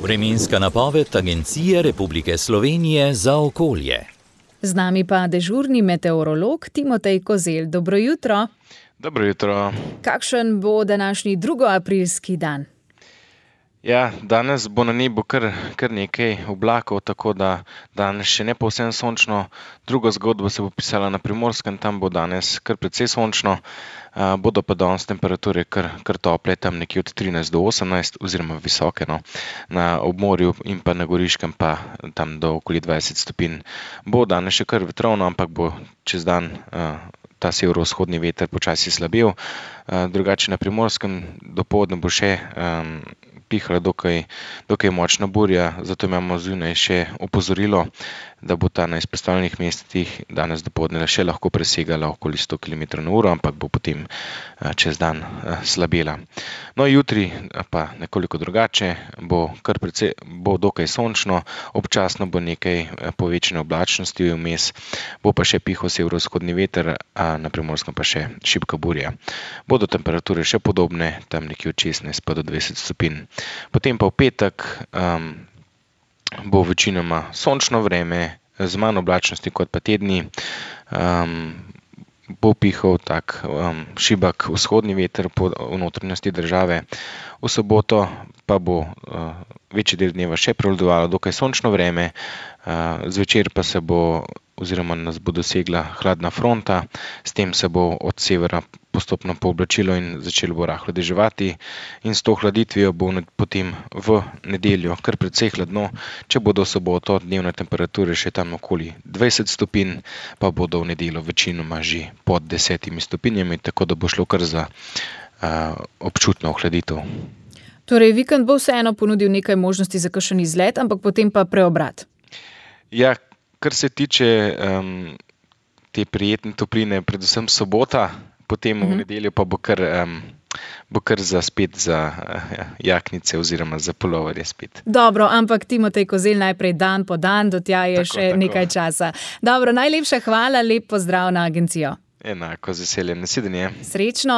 Vremenska napoved Agencije Republike Slovenije za okolje. Z nami pa dežurni meteorolog Timotej Kozelj. Dobro jutro. Dobro jutro. Kakšen bo današnji 2. aprilski dan? Ja, danes bo na nebu kar nekaj oblakov, tako da danes še ne povsem sončno. Druga zgodba se bo pisala na Primorskem, tam bo danes kar precej sončno. Bodo pa danes temperature kar tople, tam nekje od 13 do 18 oziroma visoke, no. Na obmorju in pa na Goriškem pa tam do okoli 20 stopinj. Bo danes še kar vetrovno, ampak bo čez dan ta severovzhodni veter počasi slabel. Drugače na Primorskem dopoldne bo še pihala dokaj močna burja, zato imamo zunaj še opozorilo, da bo ta na izpostavljenih mestih danes dopoldne še lahko presegala okoli 100 km/h, ampak bo potem čez dan slabela. No, jutri pa nekoliko drugače, bo dokaj sončno, občasno bo nekaj povečane oblačnosti vmes, bo pa še pihal severovzhodni veter, na Primorskem pa še šibka burja. Bodo temperature še podobne, tam nekje od 16 pa do 20 stopinj. Potem pa v petek bo večinoma sončno vreme, z manj oblačnosti kot pa tedni. Bo pihal tak šibak vzhodni veter po notranjosti države. V soboto pa bo večji del dneva še prevladovalo dokaj sončno vreme, zvečer pa se bo oziroma nas bo dosegla hladna fronta, s tem se bo od severa postopno pooblačilo in začelo bo rahlo deževati in s to hladitvijo bo potem v nedeljo kar precej hladno, če bodo v soboto dnevne temperature še tam okoli 20 stopinj, pa bodo v nedeljo večinoma že pod 10 stopinjami, tako da bo šlo kar za občutno ohladitev. Torej, vikend bo vseeno ponudil nekaj možnosti za kakšen izlet, ampak potem pa preobrat. Ja, kar se tiče te prijetne topline, predvsem sobota, potem v nedeljo pa bo kar spet za jaknice oziroma za puloverje spet. Dobro, ampak Timotej Kozelj najprej dan po dan, do tja je še nekaj časa. Dobro, najlepša hvala, lep pozdrav na agencijo. Enako, z veseljem, nasvidenje. Srečno.